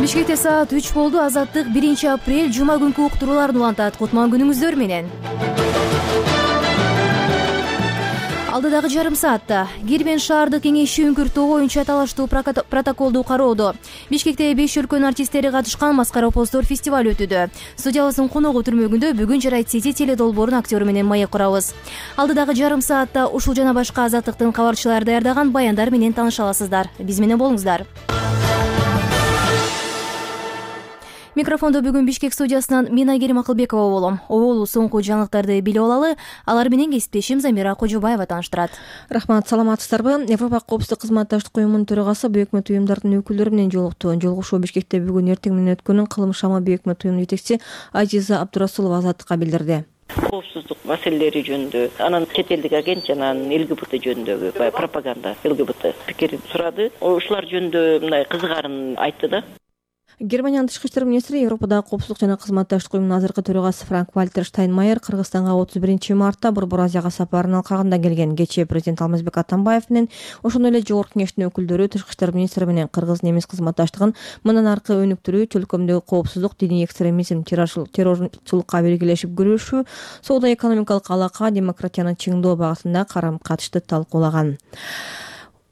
Бишкекте саат 3 болду. Азаттык 1 апрель жума күнкү уктурууларын улантат. Кутман күнүңүздөр менен. Алдыдагы жарым саатта Кербен шаардык кеңеши үңкүртүү боюнча талаштуу протоколду кароодо. Бишкекте 5 өлкөнүн артисттери катышкан Маскара Постор фестиваль өтүүдө. Студиябыздын коногу түрмөгүндө бүгүн Жарайт Сити теледолбоорунун актёру менен маек курабыз. Алдыдагы жарым саатта ушул жана башка Азаттыктын кабарчылары даярдаган баяндар менен тааныша аласыздар. Биз менен болуңуздар. Микрофондо бүгүн Бишкек студиясынан мен Айгерим Акылбекова болом. Оолу соңку жаңылыктарды билип алалы. Алар менен кесиптешим Замира Кожобаева тааныштырат. Рахмат, саламатсыздарбы? Европа коопсуздук кызматташтык уюмунун төрагасы бейөкмөт уюмдардын өкүлдөрү менен жолукту. Жолугушуу Бишкекте бүгүн эртең менен өткөнүн Кылым шама бейөкмөт уюмунун жетекчиси Азиза Абдурасулова Азаттыкка билдирди. Коопсуздук маселелери жөнүндө, анан чет элдик агент жана ЛГБТ жөнүндөгү пропаганда ЛГБТ пикирин сурады. Ушулар жөнүндө мындай кызыгарын айтты да. Германиянын тышкы иштер министри Европадагы коопсуздук жана кызматташтык уюмунун азыркы төрагасы Франк-Вальтер Штайнмайер Кыргызстанга 31 мартта Борбор Азияга сапарынын алкагында келген. Кечээ президент Алмазбек Атамбаев менен ошондой эле жогорку кеңештин өкүлдөрү тышкы иштер министри менен кыргыз-немис кызматташтыгын мындан аркы өнүктүрүү, чөлкөмдөгү коопсуздук, диний экстремизм, террорчулукка биргелешип күрөшүү, соода-экономикалык алака, демократияны чыңдоо багытында карам-катышты талкуулаган.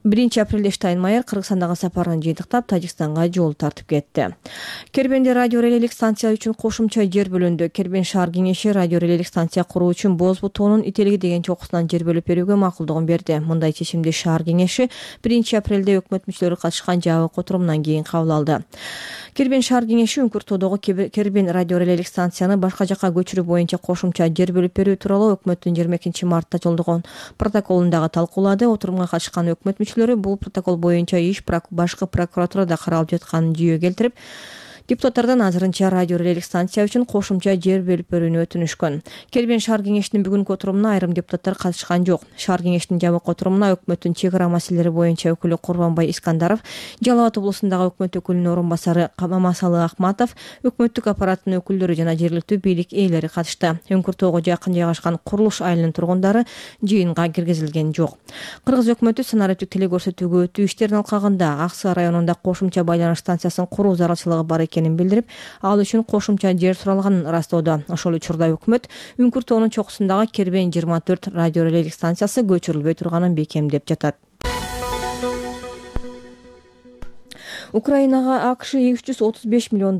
1 апрелде Штайнмайер Кыргызстандагы сапарын жыйынтыктап Тажикстанга жол тартып кетти. Кербенде радиорелелик станция үчүн кошумча жер бөлүндү. Кербен шаар кеңеши радиорелелик станция куруу үчүн Боз бутоонун Ителги деген чокусунан жер бөлүп берүүгө макулдугун берди. Мындай чечимди шаар кеңеши 1 апрелде өкмөт мүчөлөрү катышкан жабык отурумунан кийин кабыл алды. Кербен шаар кеңеши үңкүртүүдөгү Кербен радиорелелик станцияны башка жакка көчүрүү боюнча кошумча жер бөлүп берүү тууралуу өкмөттүн 22 мартта жолдогон протоколун дагы талкуулады. Отурумга катышкан өкмөт мүчөлөрү бул протокол боюнча иш башкы прокуратурада каралып жатканын жүйө келтирип, депутаттардан азырынча радиорелелик станция үчүн кошумча жер бөлүп берүүнү өтүнүшкөн. Кербен шаар кеңешинин бүгүнкү отурумуна айрым депутаттар катышкан жок. Шаар кеңешинин жабык отурумуна өкмөттүн чек ара маселелери боюнча өкүлү Курбанбай Искандаров, Жалал Абад облусундагы өкмөт өкүлүнүн орун басары Мамасалы Акматов, өкмөттүк аппараттын өкүлдөрү жана жергиликтүү бийлик ээлери катышты. Үңкүртөөгө жакын жайгашкан Курулуш айылынын тургундары жыйынга киргизилген жок. Кыргыз өкмөтү санариптик телекөрсөтүүгө өтүү иштеринин алкагында Ак Суу районунда кошумча байланыш станциясын куруу зарылчылыгы бар экенин билдирип, ал үчүн кошумча жер суралганын ырастоодо. Ошол учурда өкмөт үңкүртөөнүн чокусундагы Кербен 24 радиорелелик станциясы көчүрүлбөй турганын бекемдеп жатат. Украинага АКШ $335 миллион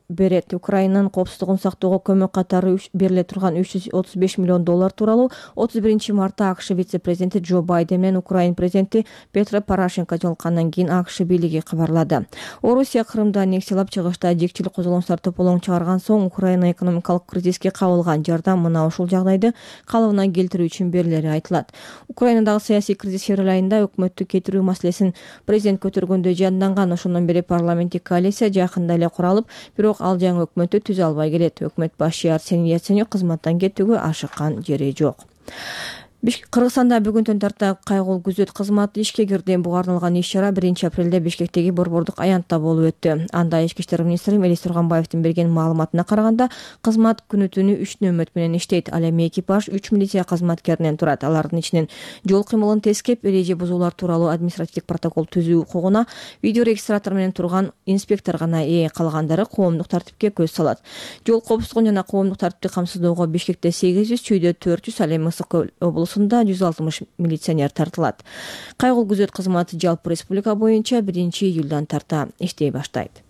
берет. Украинанын коопсуздугун сактоого көмөк катары бериле турган $335 миллион тууралуу 31 мартта АКШ вице-президенти Джо Байден менен Украин президенти Петро Порошенко жолуккандан кийин АКШ бийлиги кабарлады. Орусия Крымда аннексиялап, чыгышта жекчил козголоңчулар тополоң чыгарган соң Украина экономикалык кризиске кабылган. Жардам мына ушул жагдайды калыбына келтирүү үчүн берилери айтылат. Украинадагы саясий кризис февраль айында өкмөттү кетирүү маселесин президент көтөргөндө жанданган. Ошондон бери парламенттик коалиция жакында эле куралып, бирок ал жаңы өкмөттү түзө албай келет. Өкмөт башчы Арсений Яценюк кызматтан кетүүгө ашыккан жери жок. Кыргызстанда бүгүндөн тарта кайгылуу күзөт кызматы ишке кирди. Буга арналган иш-чара 1 апрелде Бишкектеги Борбордук аянтта болуп өттү. Анда ички иштер министри Мелис Турганбаевдин берген маалыматына караганда, кызмат күнү-түнү 3 нөмөт менен иштейт. Ал эми экипаж 3 милиция кызматкеринен турат. Алардын ичинен жол кыймылын тескеп, эреже бузуулар тууралуу административдик протокол түзүү укугуна видеорегистратор менен турган инспектор гана ээ, калгандары коомдук тартипке көз салат. Жол коопсуздугун жана коомдук тартипти камсыздоого Бишкекте 800, Чүйдө 400, ал эми Ысык Көл облусунда 160 милиционер тартылат. Кайгылуу күзөт кызматы жалпы республика боюнча 1 июлдан тарта иштей баштайт.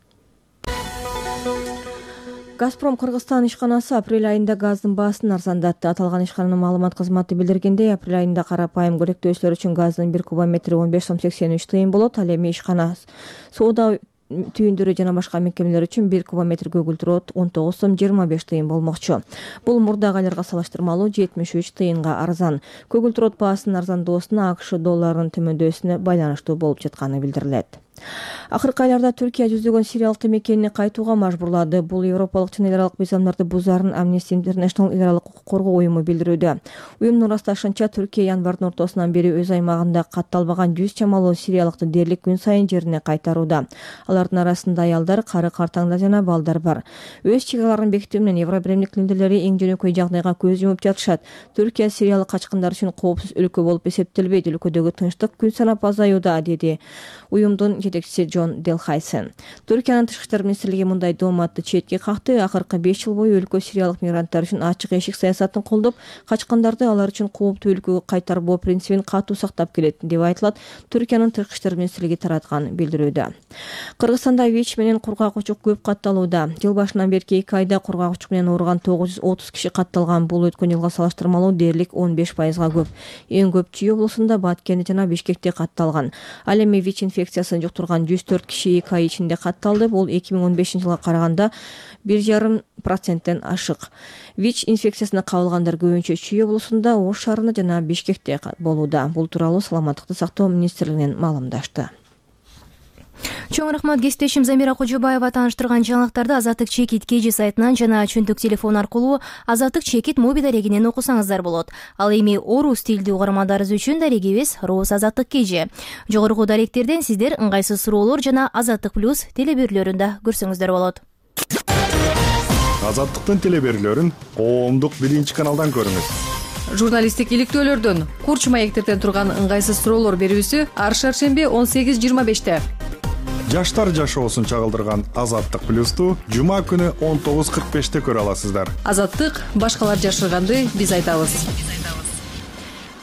Газпром Кыргызстан ишканасы апрель айында газдын баасын арзандатты. Аталган ишкананын маалымат кызматы билдиргендей, апрель айында карапайым көрөктөөчүлөр үчүн газдын 1 кубометри 15 сом 83 тыйын болот. Ал эми ишкана соода түйүндөрү жана башка мекемелер үчүн 1 кубометр көгүлтүр от 19 сом 25 тыйын болмокчу. Бул мурдагы айларга салыштырмалуу 73 тыйынга арзан. Көгүлтүр от баасынын арзандоосуна АКШ долларынын төмөндөсүнө байланыштуу болуп жатканы билдирилет. Акыркы айларда Түркия жүздөгөн сириялык мекенини кайтууга мажбурлады. Бул европалык жана эл аралык мыйзамдарды бузаарын Amnesty International эл аралык укук коргоо уюму билдирүүдө. Уюмдун ырасташынча, Түркия январдын ортосунан бери өз аймагында катталбаган 100 чамалуу сириялыкты дээрлик күн сайын жерине кайтарууда. Алардын арасында аялдар, кары картаңдар жана балдар бар. Өз чек араларын бекитүү менен Евробиримдик лидерлери эң жөнөкөй жагдайга көз жумуп жатышат. Түркия сириялык качкындар үчүн коопсуз өлкө болуп эсептелбейт. Өлкөдөгү тынчтык күн санап азаюуда, деди уюмдун жетекчиси Джон Делхайсен. Түркиянын тышкы иштер министрлиги мындай дооматты четке какты. Акыркы 5 жыл бою өлкө сириялык мигранттар үчүн ачык эшик саясатын колдоп, качкандарды алар үчүн кооптуу өлкөгө кайтарбоо принцибин катуу сактап келет деп айтылат Түркиянын тышкы иштер министрлиги тараткан билдирүүдө. Кыргызстанда ВИЧ менен кургак учук көп катталууда. Жыл башынан берки 2 айда кургак учук менен ооруган 930 киши катталган. Бул өткөн жылга салыштырмалуу дээрлик 15%га көп. Эң көп Чүй облусунда, Баткенде жана Бишкекте катталган. Ал эми ВИЧ инфекциясын жуктурган 104 киши 2 ай ичинде катталды. Бул 2015 жылга караганда 1,5% ашык. ВИЧ инфекциясына кабылгандар көбүнчө Чүй облусунда, Ош шаарында жана Бишкекте болууда. Бул тууралуу Саламаттыкты сактоо министрлигинен маалымдашты. Чоң рахмат кесиптешим Замира Кожобаева тааныштырган жаңылыктарды Азаттык Чекит KG сайтынан жана чөндүк телефон аркылуу Азаттык Чекит моби дарегинен окусаңыздар болот. Ал эми орус тилдүү угармандарыбыз үчүн дарегибиз Роос Азаттык KG. Жогорку даректерден сиздер ыңгайсыз суроолор жана Азаттык плюс телеберүүлөрүндө көрсөңүздөр болот. Азаттыктын телеберүүлөрүн коомдук 1-каналдан көрүңүз. Журналисттик иликтөөлөрдөн, курч маектерден турган ыңгайсыз суроолор берүүсү ар шаршемби 18:25. Жаштар жашоосун чагылдырган Азаттык плюсту жума күнү 19:45 көрө аласыздар. Азаттык башкалар жашырганды биз айтабыз.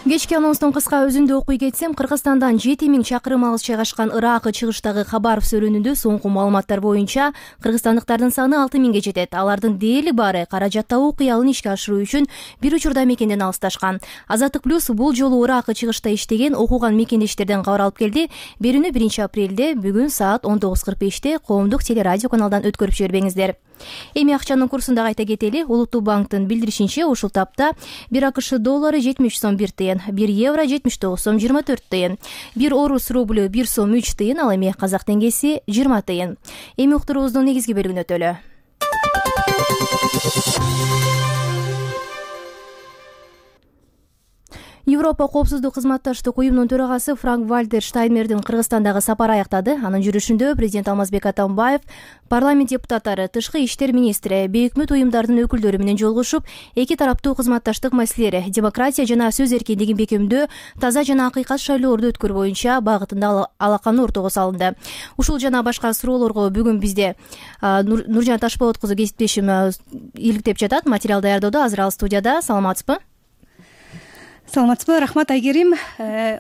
Кечки анонстун кыска өзүндө окуй кетсем, Кыргызстандан 7000 чакырым алыс жайгашкан Ыракы чыгыштагы Хабаров сөрүнүндө соңку маалыматтар боюнча кыргызстандыктардын саны 6000ге жетет. Алардын дээрлик баары каражат табуу кыялын ишке ашыруу үчүн бир учурда мекенден алысташкан. Азаттык плюс бул жолу Ыракы чыгышта иштеген окуган мекендештерден кабар алып келди. Берүүнү 1-апрелде бүгүн саат 19:45 коомдук телерадио каналдан өткөрүп жибербеңиздер. Эми акчанын курсун да кайта кетели. Улуттуу банктын билдиришинче, ушул тапта 1 АКШ доллары 70 сом 1 тыйын, 1 евро 79 сом 24 тыйын, 1 орус рублю 1 сом 3 тыйын, ал эми казак теңгеси 20 тыйын. Эми уктуруубуздун негизги бөлүгүнө өтөлү. Европа коопсуздук кызматташтык уюмунун төрагасы Франк-Вальтер Штайнмайердин Кыргызстандагы сапары аяктады. Анын жүрүшүндө президент Алмазбек Атамбаев, парламент депутаттары, тышкы иштер министри, бейөкмөт уюмдардын өкүлдөрү менен жолугушуп, эки тараптуу кызматташтык маселелери, демократия жана сөз эркиндигин бекемдөө, таза жана акыйкат шайлоолорду өткөрүү боюнча багытында алаканы ортого салынды. Ушул жана башка суроолорго бүгүн бизде Нуржан Ташболот кызы кесиптешим иликтеп жатат. Материал даярдоодо азыр ал студияда. Саламатсызбы? Саламатсызбы, рахмат Айгерим.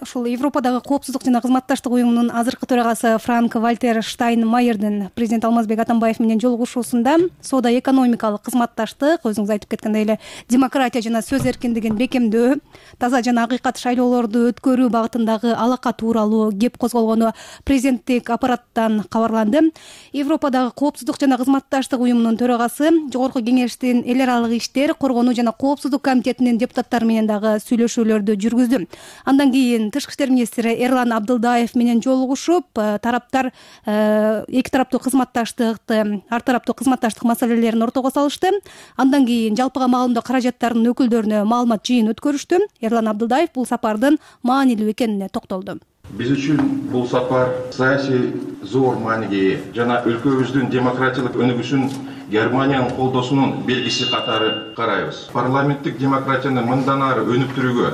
Ушул Европадагы коопсуздук жана кызматташтык уюмунун азыркы төрагасы Франк-Вальтер Штайнмайердин президент Алмазбек Атамбаев менен жолугушуусунда соода-экономикалык кызматташтык, өзүңүз айтып кеткендей эле, демократия жана сөз эркиндигин бекемдөө, таза жана акыйкат шайлоолорду өткөрүү багытындагы алака тууралуу кеп козголгону президенттик аппараттан кабарланды. Европадагы коопсуздук жана кызматташтык уюмунун төрагасы Жогорку кеңештин эл аралык иштер, коргонуу жана коопсуздук комитетинин депутаттары менен дагы сүйлөшүүлөрдү жүргүздү. Андан кийин тышкы иштер министри Эрлан Абдылдаев менен жолугушуп, тараптар эки тараптуу кызматташтыкты, ар тараптуу кызматташтык маселелерин ортого салышты. Андан кийин жалпыга маалымдоо каражаттарынын өкүлдөрүнө маалымат жыйын өткөрүштү. Эрлан Абдылдаев бул сапардын маанилүү экенине токтолду. Биз үчүн бул сапар саясий зор мааниге ээ жана өлкөбүздүн демократиялык өнүгүшүн Германиянын колдоосунун белгиси катары карайбыз. Парламенттик демократияны мындан ары өнүктүрүүгө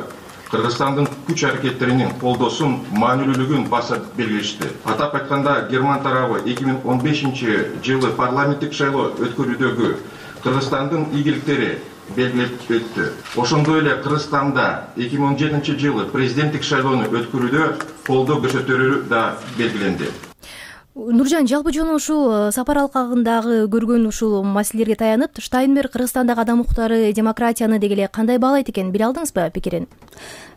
Кыргызстандын күч аракеттеринин колдоосун маанилүүлүгүн баса белгилешти. Атап айтканда, Герман тарабы 2015 жылы парламенттик шайлоо өткөрүүдөгү Кыргызстандын ийгиликтери белгилеп өттү. Ошондой эле Кыргызстанда 2017 жылы президенттик шайлоону өткөрүүдө колдоо көрсөтөрү да белгиленди. Нуржан, жалпы жолу ушул сапар алкагындагы көргөн ушул маселелерге таянып, Штайнмайер Кыргызстандагы адам укуктары, демократияны деги эле кандай баалайт экен, биле алдыңызбы пикирин?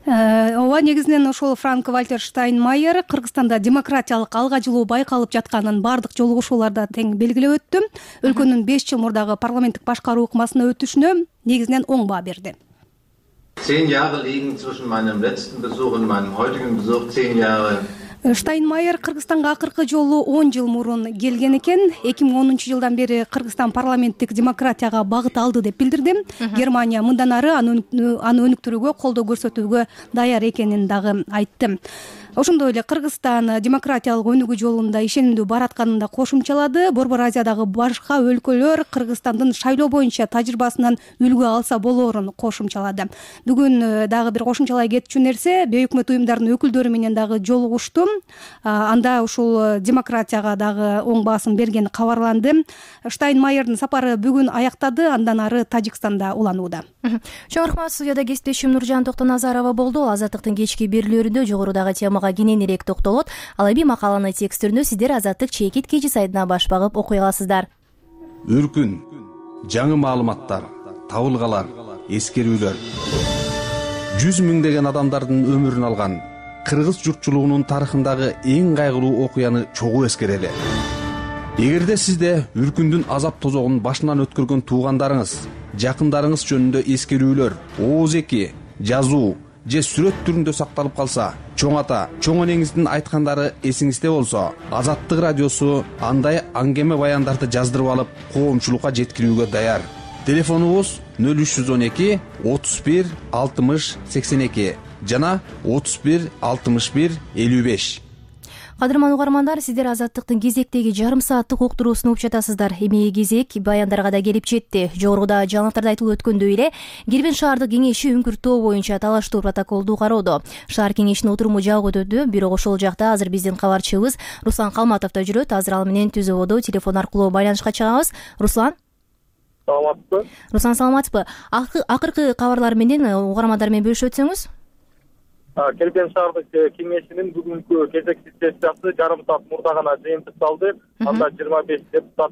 Ооба, негизинен ошол Франк-Вальтер Штайнмайер Кыргызстанда демократиялык алга жылуу байкалып жатканын бардык жолугушууларда тең белгилеп өттү. Өлкөнүн 5 жыл мурдагы парламенттик башкаруу ыкмасына өтүшүнө негизинен оң баа берди. 10 Jahre liegen zwischen meinem letzten Besuch und meinem heutigen Besuch 10 Jahre. Штайнмайер Кыргызстанга акыркы жолу 10 жыл мурун келген экен. 2010 жылдан бери Кыргызстан парламенттик демократияга багыт алды деп билдирди. Германия мындан ары аны өнүктүрүүгө, колдоо көрсөтүүгө даяр экенин дагы айтты. Ошондой эле Кыргызстан демократиялык өнүгүү жолунда ишенимдүү баратканын да кошумчалады. Борбор Азиядагы башка өлкөлөр Кыргызстандын шайлоо боюнча тажрыйбасынан үлгү алса болоорун кошумчалады. Бүгүн дагы бир кошумчалай кетчү нерсе, бейөкмөт уюмдардын өкүлдөрү менен дагы жолугуштум. Анда ушул демократияга дагы оң баасым бергени кабарланды. Штайнмайердин сапары бүгүн аяктады, андан ары Тажикстанда уланууда. Чоң рахмат. Студияда кесиптешим Нуржан Токтоназарова болду. Азаттыктын кечки берүүлөрүндө жогорудагы темага кененирээк токтолот. Ал эми макаланы текст түрүндө сиздер Азаттык чекит кечи сайтына баш багып окуй аласыздар. Өркүн, жаңы маалыматтар, табылгалар, эскерүүлөр. 100 миңдеген адамдардын өмүрүн алган кыргыз журтчулугунун тарыхындагы эң кайгылуу окуяны чогуу эскерели. Эгерде сизде Үркүндүн азап тозогун башынан өткөргөн туугандарыңыз, жакындарыңыз жөнүндө эскерүүлөр, ооз-эки, жазуу же сүрөт түрүндө сакталып калса, чоң ата, чоң энеңиздин айткандары эсиңизде болсо, Азаттык радиосу андай аңгеме баяндарды жаздырып алып, коомчулукка жеткирүүгө даяр. Телефонубуз 0312 31 60 82 жана 31 61 55. Кадырман угармандар, сиздер Азаттыктын кезектеги жарым сааттык уктуруусун угуп жатасыздар. Эми кезек баяндарга да келип жетти. Жогоруда жаңылыктарда айтылып өткөндөй эле, Кирбин шаардык кеңеши Үңкүр тоо боюнча талаштуу протоколду кароодо. Шаар кеңешинин отуруму жабык өтүүдө, бирок ошол жакта азыр биздин кабарчыбыз Руслан Калматов да жүрөт. Азыр ал менен түз ободо телефон аркылуу байланышка чыгабыз. Руслан, саламатсызбы? Руслан, саламатсызбы? Акыркы кабарлар менен угармандар менен бөлүшүп өтсөңүз. Кирбин шаардык кеңешинин бүгүнкү кезектүү сессиясы жарым саат мурда гана жыйынтыкталды. Анда 25 депутат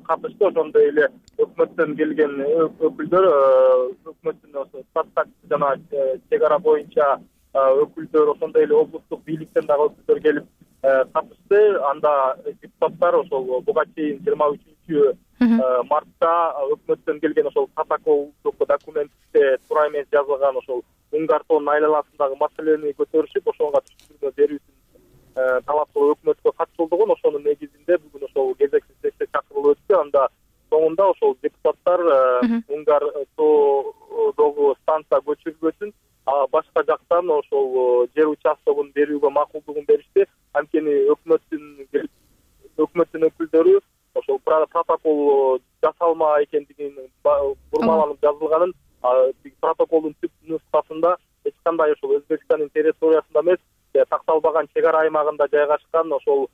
катышты. Ошондой эле өкмөттөн келген өкүлдөр, өкмөттүн статистика жана чек ара боюнча өкүлдөр, ошондой эле облустук бийликтен дагы өкүлдөр келип катышты. Анда депутаттар ошол буга чейин 23-мартта өкмөттөн келген ошол протоколдук документте туура эмес жазылган ошол Уңгар тоонун айланасындагы маселени көтөрүшүп, ошого түшүндүрмө берүүсүн талап кылып өкмөткө катышылдыгын, ошонун негизинде бүгүн ошол кезектүү сессия чакырылып өттү. Анда соңунда ошол депутаттар Уңгар тоодогу станция көчүрүлбөсүн, башка жактан ошол жер участогун берүүгө макулдугун беришти. Анткени өкмөттүн өкүлдөрү ошол протокол жасалма экендигин бурмаланып жазылганын, протоколдун түп нускасында эч кандай ошол Өзбекстандын территориясында эмес, такталбаган чек ара аймагында жайгашкан ошол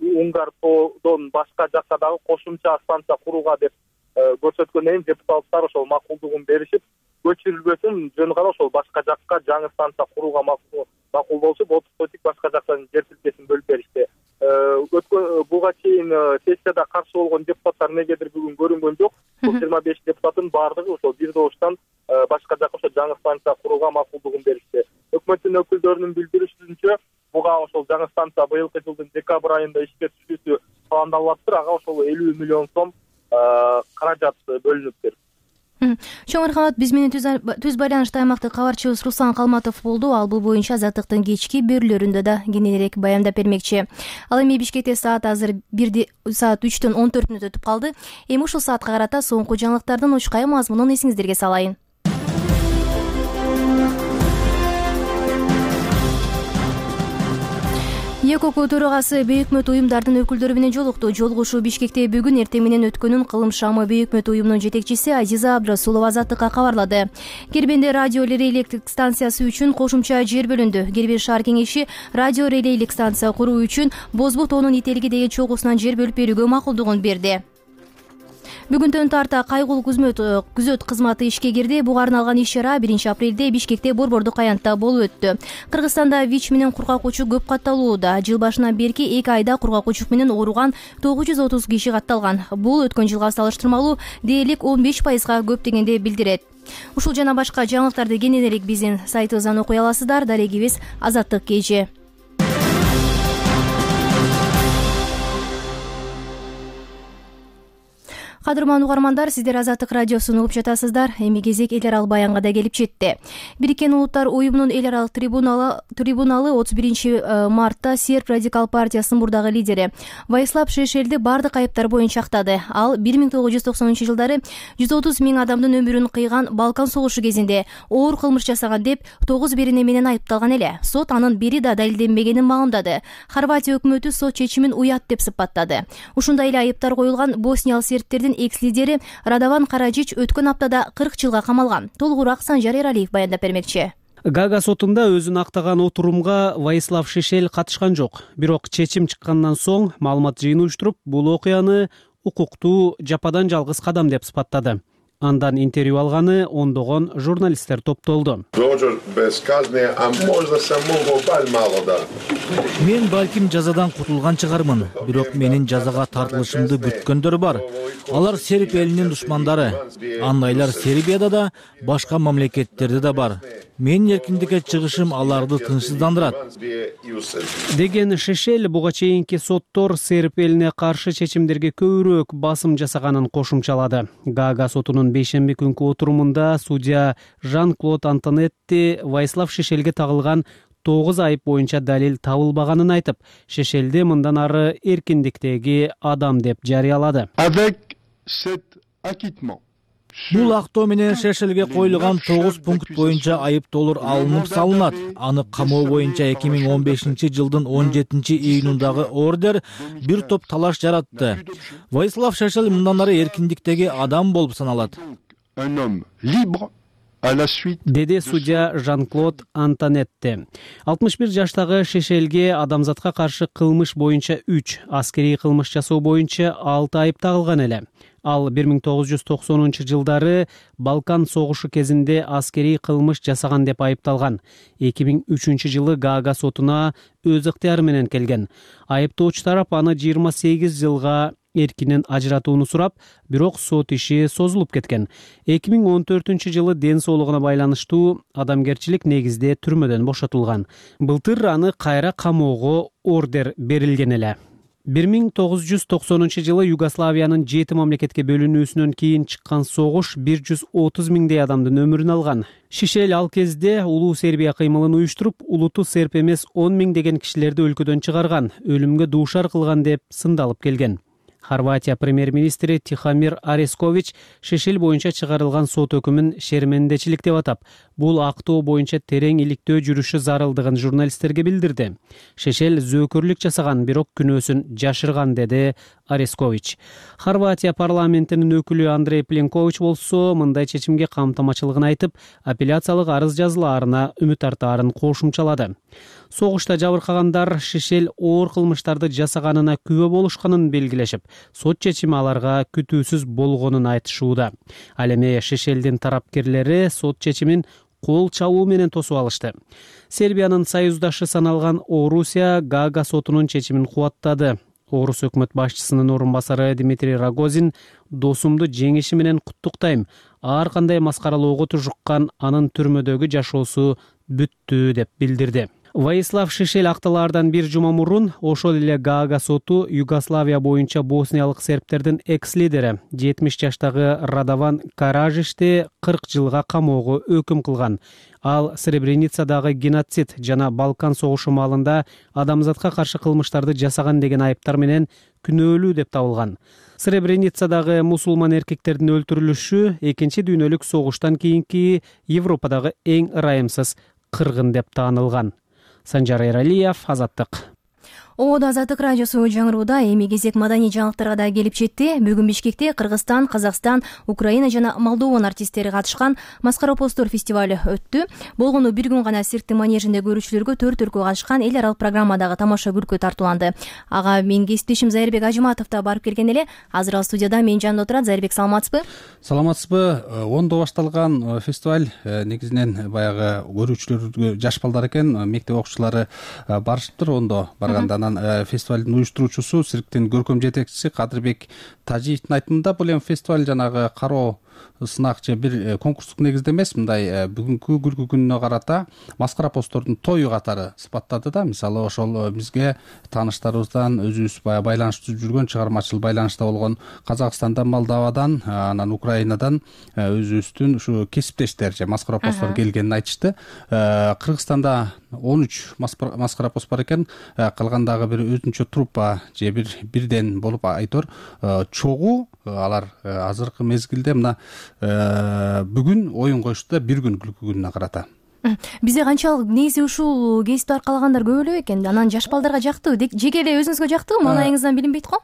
Уңгар тоодон башка жакка дагы кошумча станция курууга деп көрсөткөндөн кийин депутаттар ошол макулдугун беришип, көчүрүлбөсүн, жөн гана ошол башка жакка жаңы станция курууга макул болушуп, 30 сотик башка жактан жер тилкесин бөлүп беришти. Буга чейин сессияда каршы болгон депутаттар негедир бүгүн көрүнгөн жок. 25 депутаттын баардыгы ошол бир добуштан башка жакка ошол жаңы станция курууга макулдугун беришти. Өкмөттүн өкүлдөрүнүн билдиришинче, буга ошол жаңы станция быйылкы жылдын декабрь айында ишке түшүүсү пландалып атыптыр. Ага ошол 50 миллион сом каражат бөлүнүптүр. Чоң рахмат. Биз менен түз байланышта аймактык кабарчыбыз Руслан Калматов болду. Ал бул боюнча Азаттыктын кечки берүүлөрүндө да кененирээк баяндап бермекчи. Ал эми Бишкекте саат азыр 3:14 өтүп калды. Эми ушул саатка карата соңку жаңылыктардын учкай мазмунун эсиңиздерге салайын. ЕКОК төрагасы бейөкмөт уюмдардын өкүлдөрү менен жолукту. Жолугушуу Бишкекте бүгүн эртең менен өткөнүн Кылым шамы бейөкмөт уюмунун жетекчиси Азиза Абдрасулова Азаттыкка кабарлады. Кирбинде радио релейлик станциясы үчүн кошумча жер бөлүндү. Кирбин шаар кеңеши радио релейлик станция куруу үчүн Бозбу тоонун Ителги деген чогусунан жер бөлүп берүүгө макулдугун берди. Бүгүндөн тарта кайгылуу күзөт кызматы ишке кирди. Буга арналган иш-чара 1 апрелде Бишкекте борбордук аянтта болуп өттү. Кыргызстанда ВИЧ менен кургак учук көп катталууда. Жыл башынан берки 2 айда кургак учук менен ооруган 930 киши катталган. Бул өткөн жылга салыштырмалуу дээрлик 15%га көп дегенди билдирет. Ушул жана башка жаңылыктарды кененирээк биздин сайтыбыздан окуй аласыздар. Дарегибиз Азаттык KG. Кадырман угармандар, сиздер Азаттык радиосун угуп жатасыздар. Эми кезек эл аралык баянга да келип жетти. Бириккен Улуттар уюмунун эл аралык трибуналы 31-мартта Серб радикал партиясынын мурдагы лидери Ваислав Шешелди бардык айыптар боюнча актады. Ал 1990-жылдары 130 миң адамдын өмүрүн кыйган Балкан согушу кезинде оор кылмыш жасаган деп 9 берене менен айыпталган эле. Сот анын бери да далилденбегенин маалымдады. Хорватия өкмөтү сот чечимин уят деп сыпаттады. Ушундай эле айыптар коюлган босниялык сербтердин экс-лидери Радован Караджич өткөн аптада 40 жылга камалган. Толугураак Санжар Эралиев баяндап бермекчи. Гага сотунда өзүн актаган отурумга Ваислав Шешел катышкан жок. Бирок чечим чыккандан соң маалымат жыйын уюштуруп, бул окуяны укуктуу жападан жалгыз кадам деп сыпаттады. Андан интервью алганы ондогон журналисттер топтолду. Мен балким жазадан кутулган чыгармын, бирок менин жазага тартылышымды бүткөндөр бар. Алар Серб элинин душмандары. Андайлар Сербияда да, башка мамлекеттерде да бар. Менин эркиндикке чыгышым аларды тынчсыздандырат. Деген Шешел буга чейинки соттор Серб элине каршы чечимдерге көбүрөөк басым жасаганын кошумчалады. Гага сотунун бейшемби күнкү отурумунда судья Жан-Клод Антонетти Ваислав Шешелге тагылган 9 айып боюнча далил табылбаганын айтып, Шешелди мындан ары эркиндиктеги адам деп жарыялады. Бул актоо менен Шешелге коюлган 9 пункт боюнча айыптоолор алынып салынат. Аны камоо боюнча 2015-жылдын 17-июнундагы ордер бир топ талаш жаратты. Ваислав Шешел мындан ары эркиндиктеги адам болуп саналат. Деди судья Жан-Клод Антонетти. 61 жаштагы Шешелге адамзатка каршы кылмыш боюнча 3, аскерий кылмыш жасоо боюнча 6 айып тагылган эле. Ал 1990-жылдары Балкан согушу кезинде аскерий кылмыш жасаган деп айыпталган. 2003-жылы Гага сотуна өз ыктыяры менен келген. Айыптоочу тарап аны 28 жылга эркинен ажыратууну сурап, бирок сот иши созулуп кеткен. 2014-жылы ден соолугуна байланыштуу адамгерчилик негизде түрмөдөн бошотулган. Былтыр аны кайра камоого ордер берилген эле. 1990-жылы Югославиянын 7 мамлекетке бөлүнүүсүнөн кийин чыккан согуш 130 миңдей адамдын өмүрүн алган. Шешел ал кезде улуу Сербия кыймылын уюштуруп, улуту серб эмес 10 миңдеген кишилерди өлкөдөн чыгарган, өлүмгө дуушар кылган деп сындалып келген. Хорватия премьер-министри Тихомир Орескович Шешел боюнча чыгарылган сот өкүмүн шермендечилик деп атап, бул актоо боюнча терең иликтөө жүрүшү зарылдыгын журналисттерге билдирди. Шешел зөөкөрлүк жасаган, бирок күнөөсүн жашырган, деди Орескович. Хорватия парламентинин өкүлү Андрей Пленкович болсо мындай чечимге камтамачылыгын айтып, апелляциялык арыз жазылаарына үмүт артаарын кошумчалады. Согушта жабыркагандар Шешел оор кылмыштарды жасаганына күбө болушканын белгилешип, сот чечими аларга күтүүсүз болгонун айтышууда. Ал эми Шешелдин тарапкерлери сот чечимин кол чабуу менен тосуп алышты. Сербиянын союздашы саналган Орусия Гага сотунун чечимин кубаттады. Орус өкмөт башчысынын орун басары Дмитрий Рогозин досумду жеңиши менен куттуктайм. Ар кандай маскаралоого тужуккан анын түрмөдөгү жашоосу бүттү деп билдирди. Ваислав Шешел акталаардан бир жума мурун ошол эле Гага соту Югославия боюнча босниялык сербтердин экс-лидери 70 жаштагы Радован Каражичти 40 жылга камоого өкүм кылган. Ал Сребреницадагы геноцид жана Балкан согушу маалында адамзатка каршы кылмыштарды жасаган деген айыптар менен күнөөлүү деп табылган. Сребреницадагы мусулман эркектердин өлтүрүлүшү экинчи дүйнөлүк согуштан кийинки Европадагы эң ырайымсыз кыргын деп таанылган. Санжар Эралиев, Азаттык. Ободо Азаттык радиосу жаңырууда. Эми кезек маданий жаңылыктарга да келип жетти. Бүгүн Бишкекте Кыргызстан, Казакстан, Украина жана Молдован артисттери катышкан Маскара Опоздор фестивалю өттү. Болгону бир күн гана цирктин манежинде көрүүчүлөргө 4 өлкө катышкан эл аралык программадагы тамаша күлкү тартууланды. Ага менин кесиптешим Зайырбек Ажыматов да барып келген эле. Азыр ал студияда менин жанымда отурат. Зайырбек, саламатсызбы? Саламатсызбы? Ондо башталган фестиваль негизинен баягы көрүүчүлөр жаш балдар экен, мектеп окуучулары барышыптыр. Ондо барганда фестивалдын уюштуруучусу цирктин көркөм жетекчиси Кадырбек Тажиевдин айтымында бул эми фестиваль жанагы кароо сынак же бир конкурстук негизде эмес, мындай бүгүнкү күлкү күнүнө карата маскара посттордун тою катары сыпаттады да. Мисалы ошол бизге тааныштарыбыздан өзүбүз баягы байланышта жүргөн, чыгармачыл байланышта болгон Казакстандан, Молдовадан, анан Украинадан өзүбүздүн ушу кесиптештер же маскара посттор келгенин айтышты. Кыргызстанда 13 маскара пост бар экен, калгандагы бир өзүнчө труппа же бирден болуп айтор чогуу алар азыркы мезгилде мына бүгүн оюн коюшту да, бир күн күлкү күнүнө карата. Бизде канчалык негизи ушул кесипти аркалагандар көп эле бекен? Анан жаш балдарга жактыбы? Жеке эле өзүңүзгө жактыбы? Маанайыңыздан билинбейт го?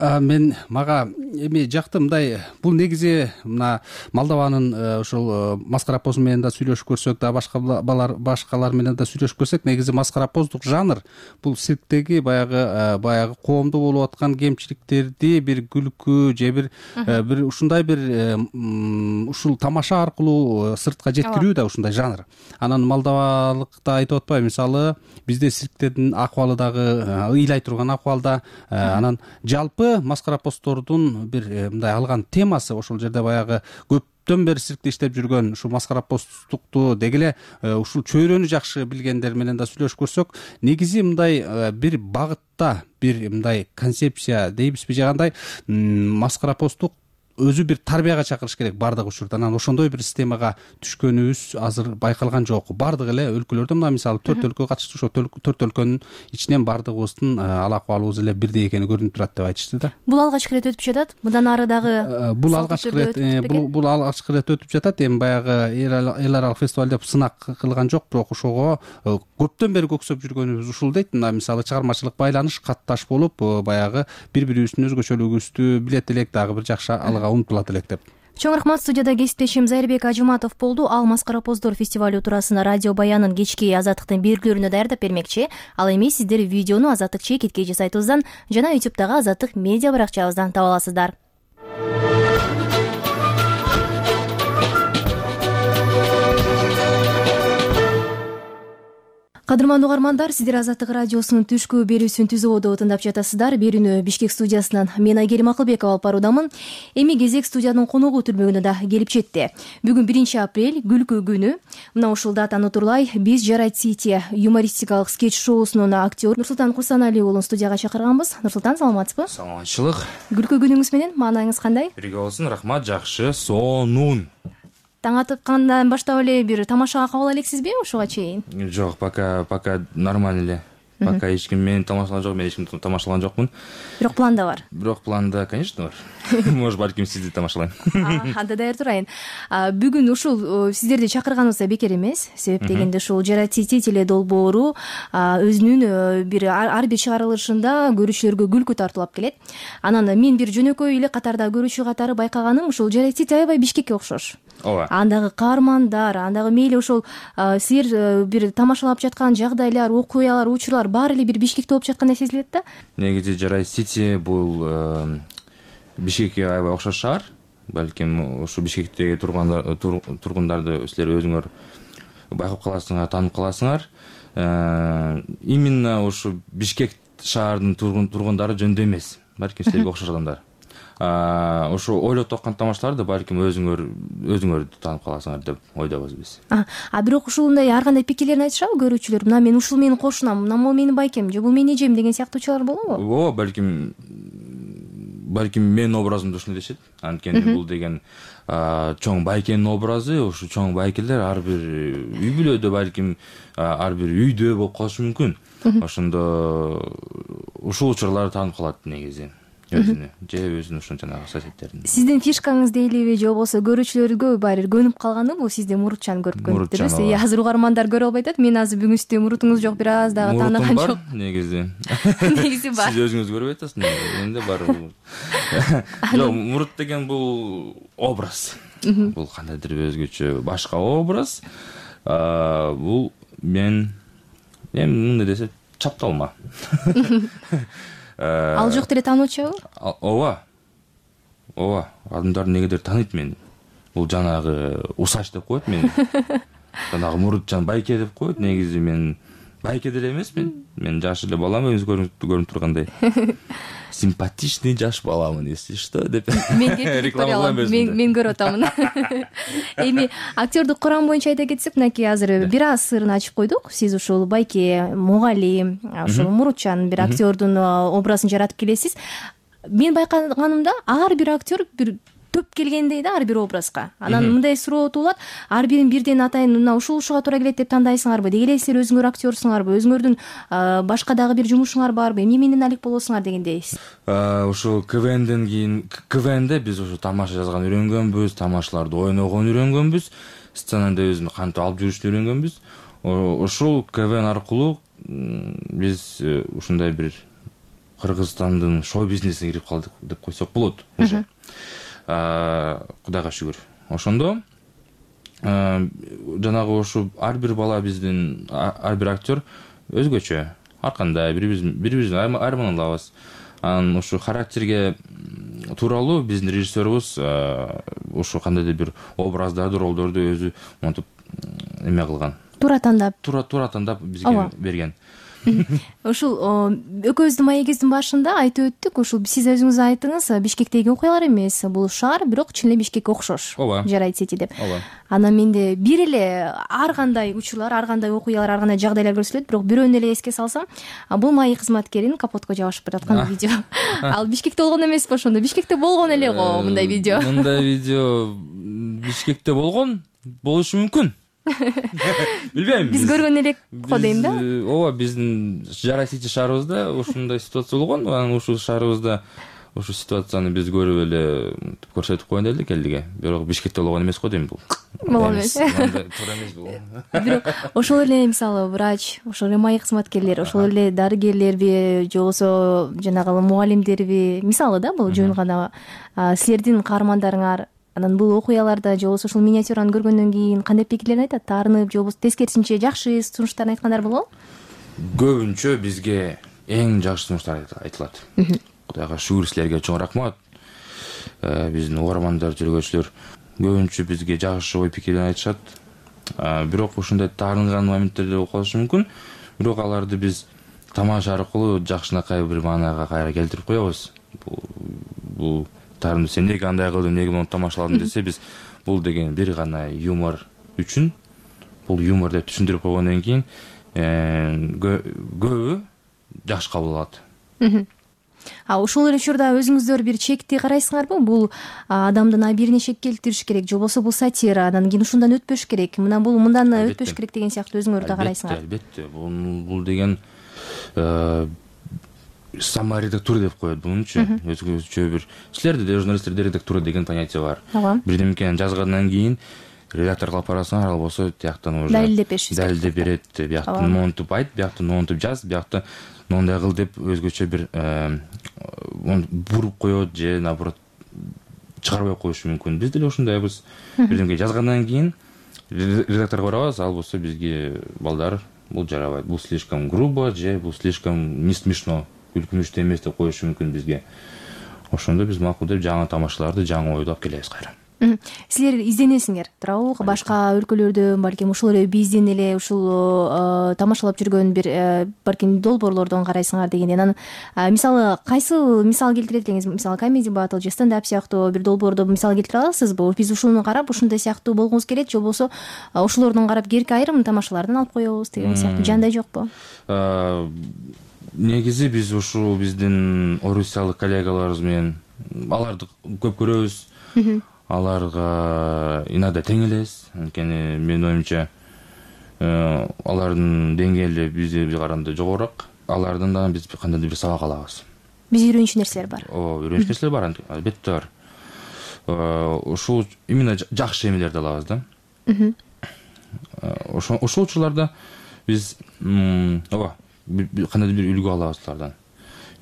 Мага эми жакты. Мындай, бул негизи мына Молдованын ушул маскара посту менен да сүйлөшүп көрсөк да, башкалар менен да сүйлөшүп көрсөк, негизи маскара посттук жанр бул цирктеги баягы коомдо болуп аткан кемчиликтерди бир күлкү же бир ушундай бир ушул тамаша аркылуу сыртка жеткирүү да ушундай жанр. Анан молдовалыкта айтып атпайбы, мисалы бизде цирктердин акыбалы дагы ыйлай турган акыбалда, анан жалпы маскара посттордун бир мындай алган темасы ошол жерде баягы көптөн бери циркте иштеп жүргөн ушул маскара посттукту деги эле ушул чөйрөнү жакшы билгендер менен да сүйлөшүп көрсөк, негизи мындай бир багытта бир мындай концепция дейбизби же кандай, маскара посттук өзү бир тарбияга чакырыш керек баардык учурда. Анан ошондой бир системага түшкөнүбүз азыр байкалган жок. Баардык эле өлкөлөрдө мына мисалы 4 өлкө катышты, ошо 4 өлкөнүн ичинен баардыгыбыздын ал акыбалыбыз эле бирдей экени көрүнүп турат деп айтышты да. Бул алгачкы ирет өтүп жатат. Мындан ары дагы бул алгачкы ирет өтүп жатат. Эми баягы эл аралык фестиваль деп сынак кылган жок, бирок ошого көптөн бери көксөп жүргөнүбүз ушул дейт. Мына мисалы чыгармачылык байланыш, катташ болуп баягы бири-бирибиздин өзгөчөлүгүбүздү билет элек, дагы бир жакшы умтулат элек деп. Чоң рахмат. Студияда кесиптешим Зайырбек Ажыматов болду. Ал маскара посттор фестивалю туурасында радио баянын кечки Азаттыктын берүүлөрүнө даярдап бермекчи. Ал эми сиздер видеону Азаттык чекиткеji сайтыбыздан жана YouTube'дагы Азаттык медиа баракчабыздан таба аласыздар. Кадырмандуу угармандар, сиздер Азаттык радиосунун түшкү берүүсүн түзүүдө тыңдап жатасыздар. Берүүнү Бишкек студиясынан мен Айгерим Акылбекова алып баруудамын. Эми кезек студиянын коногу түрмөгүнө да келип жетти. Бүгүн 1 апрель күлкү күнү. Мына ушул датаны утурлай биз Жарайт Сити юмористикалык скетч шоусунун актер Нурсултан Курсаналиевич уулун студияга чакырганбыз. Нурсултан, саламатсызбы? Саламатчылык. Күлкү күнүңүз менен маанайыңыз кандай? Бирге болсун, рахмат, жакшы, сонун. Таң аткандан баштап эле бир тамашага кабыл элексизби ушуга чейин? Жок, пока нормально эле. Пока эч ким мени тамашалаган жок, мен эч кимди тамашалаган жокмун. Бирок планда бар. Бирок планда, конечно, бар. Может, балким сизди тамашалайм. Анда даяр турайын. Бүгүн ушул сиздерди чакырганыбызга бекер эмес. Себеп дегенде ушул Жарайт Сити теле долбоору өзүнүн бир ар бир чыгарылышында көрүүчүлөргө күлкү тартуулап келет. Анан мен бир жөнөкөй эле катарда көрүүчү катары байкаганым ушул Жарайт Сити аябай Бишкекке окшош. Ооба. Андагы каармандар, андагы мейли ошол силер бир тамашалап жаткан жагдайлар, окуялар, учурлар баары эле бир Бишкекте болуп жаткандай сезилет да. Негизи Жарайт Сити бул Бишкекке аябай окшош шаар. Балким ушу Бишкектеги тургундарды силер өзүңөр байкап каласыңар, таанып каласыңар. Именно ушу Бишкек шаарынын тургундары жөндөй эмес. Балким силерге окшош адамдар. Ошо ойлоп тапкан тамашаларды балким өзүңөр таанып каласыңар деп ойдобуз биз. Бирок ушундай ар кандай пикирлерин айтышабы көрүүчүлөр? Мына мен ушул менин кошунам, мына бул менин байкем же бул менин эжем деген сыяктуучулар болобу? Ооба, балким менин образымды ушундай дешет. Анткени бул деген чоң байкенин образы, ушу чоң байкелер ар бир үй бүлөдө, балким ар бир үйдө болуп калышы мүмкүн. Ошондо ушул учурларды таанып калат негизи. Өзүнүн ушун жанагы соседтерин. Сиздин фишкаңыз дейлиби же болбосо көрүүчүлөргө баары көнүп калганы бул сизди мурутчан көрүп көнүптүрбүз. Азыр угармандар көрө албай атат. Мен азыр бүгүн сизде мурутуңуз жок, бир аз дагы таанаган жок. Негизи. Негизи бар. Сиз өзүңүз көрбөй атасыз, менде бар. Жок, мурут деген бул образ. Бул кандайдыр өзгөчө башка образ. Бул мен мындай десе чапталма. Ал жок деле таануучубу? Ооба. Адамдар негедир тааныйт мени. Бул жанагы усач деп коет мени. Жанагы мурутчан байке деп коет. Негизи мен байке деле эмесмин. Мен жаш эле балам, өзү көрүнүп тургандай. симпатичный жаш баламын, если что деп реклама кылам, мен көрүп атамын. Эми актёрдук курам боюнча айта кетсек, мынакей азыр бир аз сырын ачып койдук. Сиз ушул байке мугалим, ушул Мурутчан бир актёрдун образын жаратып келесиз. Мен байкаганымда ар бир актер бир төп келгендей да ар бир образга. Анан мындай суроо туулат, ар бирин бирден атайын мына ушуга туура келет деп тандайсыңарбы? Деги эле силер өзүңөр актёрсуңарбы? Өзүңөрдүн башка дагы бир жумушуңар барбы? Эмне менен алек болосуңар дегендей. Ушул КВНден кийин КВНде биз ушу тамаша жазган үйрөнгөнбүз, тамашаларды ойногон үйрөнгөнбүз, сценада өзүн кантип алып жүрүшүн үйрөнгөнбүз. Ушул КВН аркылуу биз ушундай бир Кыргызстандын шоу бизнесине кирип калдык деп койсок болот уже. Кудайга шүгүр. Ошондо жанагы ушу ар бир бала биздин ар бир актер өзгөчө, ар кандай бири-бирибизден айырмана алабыз. Анан ушу характерге тууралуу биздин режиссерыбыз ушу кандайдыр бир образдарды, ролдорду өзү монтип эме кылган. Туура тандап бизге берген. Ушул экөөбүздүн маегибиздин башында айтып өттүк, ушул сиз өзүңүз айттыңыз, Бишкектеги окуялар эмес, бул шаар, бирок чын эле Бишкекке окшош. Жарайт сети деп. Анан менде бир эле ар кандай учурлар, ар кандай окуялар, ар кандай жагдайлар көрсөтүлөт, бирок бирөөнү эле эске салсам, бул маек кызматкерин капотко жабышып бараткан видео. Ал Бишкекте болгон эмеспи ошондо? Бишкекте болгон эле го мындай видео. Мындай видео Бишкекте болушу мүмкүн. Билбейм. Биз көргөн элек го дейм да. Ооба, биздин Жарай Сити шаарыбызда ушундай ситуация болгон. Анан ушул шаарыбызда ушу ситуацияны биз көрүп эле көрсөтүп коеюн дедик элге. Бирок Бишкекте болгон эмес го дейм бул. Болгон эмес. Туура эмес бул. Бирок ошол эле мисалы врач, ошол эле маек кызматкерлери, ошол эле дарыгерлерби, же болбосо жанагы мугалимдерби, мисалы да бул жөн гана силердин каармандарыңар. Анан бул окуяларда же болбосо ушул миниатюраны көргөндөн кийин кандай пикирлерин айтат? Таарынып, же болбосо тескерисинче жакшы сунуштарын айткандар болобу? Көбүнчө бизге эң жакшы сунуштар айтылат. Кудайга шүгүр, силерге чоң рахмат. Биздин угармандар, жүргүчүлөр көбүнчө бизге жакшы ой пикирлерин айтышат. Бирок ушундай таарынган моменттерде болуп калышы мүмкүн. Бирок аларды биз тамаша аркылуу жакшынакай бир маанага кайра келтирип коебуз. Бул сен неге андай кылдың, неге муну тамашаладың десе, биз бул деген бир гана юмор үчүн, бул юмор деп түшүндүрүп койгондон кийин көбү жакшы кабыл алат. Ушул эле учурда өзүңүздөр бир чекти карайсыңарбы? Бул адамдын абийирине шек келтириш керек, же болбосо бул сатира, анан кийин ушундан өтпөш керек, мындан өтпөш керек деген сыяктуу өзүңөр да карайсыңар. Албетте, бул деген саморедактура деп коет бунучу. Өзгөчө бир силерде де журналисттерде редактура деген понятие бар. Бирдемкени жазгандан кийин редактор кылып барасыңар, ал болсо тияктан уже далилдеп берет, бияктан монтуп айт, бияктан монтуп жаз, бияктан мондай кыл деп өзгөчө бир буруп коет же наоборот чыгарбай коюшу мүмкүн. Биз деле ушундайбыз. Бирдемке жазгандан кийин редакторго барабыз, ал болсо бизге балдар бул жарабайт, бул слишком грубо же бул слишком не смешно, күлкүнүчтүү эмес деп коюшу мүмкүн бизге. Ошондо биз макул деп жаңы тамашаларды жаңы ойлоп келебиз кайра. Силер изденесиңер, туурабы? Башка өлкөлөрдө балким ушул эле бизден эле ушул тамашалап жүргөн бир балким долбоорлордон карайсыңар дегендей. Анан мисалы кайсы мисал келтире элеңиз? Мисалы комеди батл же стендап сыяктуу бир долбоорду мисал келтире аласызбы? Биз ушуну карап ушундай сыяктуу болгубуз келет, же болбосо ошолордон карап керки айрым тамашалардан алып коебуз деген сыяктуу жандай жокпу? Негизи биз ушул биздин орусиялык коллегаларыбыз менен аларды көп көрөбүз. Аларга иногда тең элес. Анткени менин оюмча алардын деңгээли бизге караганда жогорураак. Алардан да биз кандайдыр бир сабак алабыз. Биз үйрөнүш нерселер бар. Үйрөнүш нерселер бар, албетте бар. Ушул именно жакшы эмелерди алабыз да. Ошол учурларда биз кандайдыр бир үлгү алабыз алардан.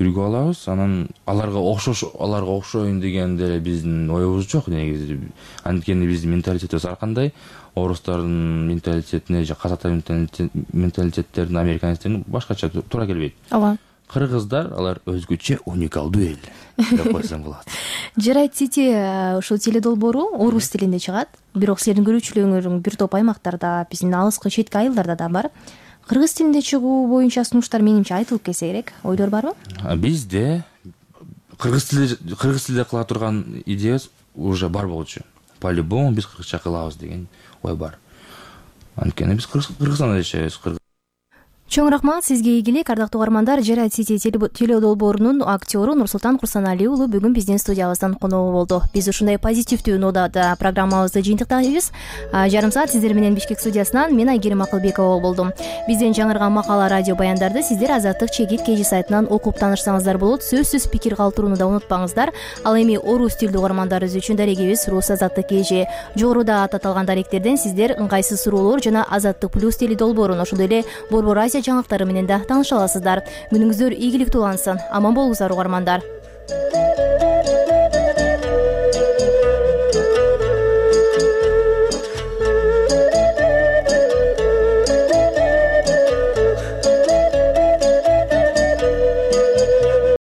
Үлгү алабыз, анан аларга окшоюн деген деле биздин оюбуз жок негизи. Анткени биздин менталитетибиз ар кандай, орустардын менталитетине же казактардын менталитеттерин, американецтердин башкача туура келбейт. Ооба. Кыргыздар алар өзгөчө уникалдуу эл деп койсоң болот. Жарайт Сити ушул теледолбоору орус тилинде чыгат, бирок силердин көрүүчүлөрүң бир топ аймактарда, биздин алыскы четки айылдарда да бар. Кыргыз тилинде чыгуу боюнча сунуштар менимче айтылып келсе керек. Ойлор барбы? Бизде кыргыз тилде кыла турган идеябыз уже бар болчу. По-любому биз кыргызча кылабыз деген ой бар. Анткени биз Кыргызстанда жашайбыз. Чоң рахмат сизге ийгилик, ардактуу угармандар. Жарат Сити теледолбоорунун актёру Нурсултан Курсаналиев уулу бүгүн биздин студиябыздан конок болду. Биз ушундай позитивдүү нодада программабызды жыйынтыктайбыз. Жарым саат сиздер менен Бишкек студиясынан мен Айгерим Акылбекова болдум. Бизден жаңырган макала, радио баяндарды сиздер Азаттык Чекит KG сайтынан окуп таанышсаңыздар болот. Сөзсүз пикир калтырууну да унутпаңыздар. Ал эми орус тилдүү угармандарыбыз үчүн дарегибиз Рус Азаттык KG. Жогоруда аталган даректерден сиздер ыңгайсыз суроолор жана Азаттык Плюс теледолбоорун, ошондой эле Борбор Азия жаңылыктары менен да тааныша аласыздар. Күнүңүздөр ийгиликтүү улансын. Аман болуңуздар угармандар.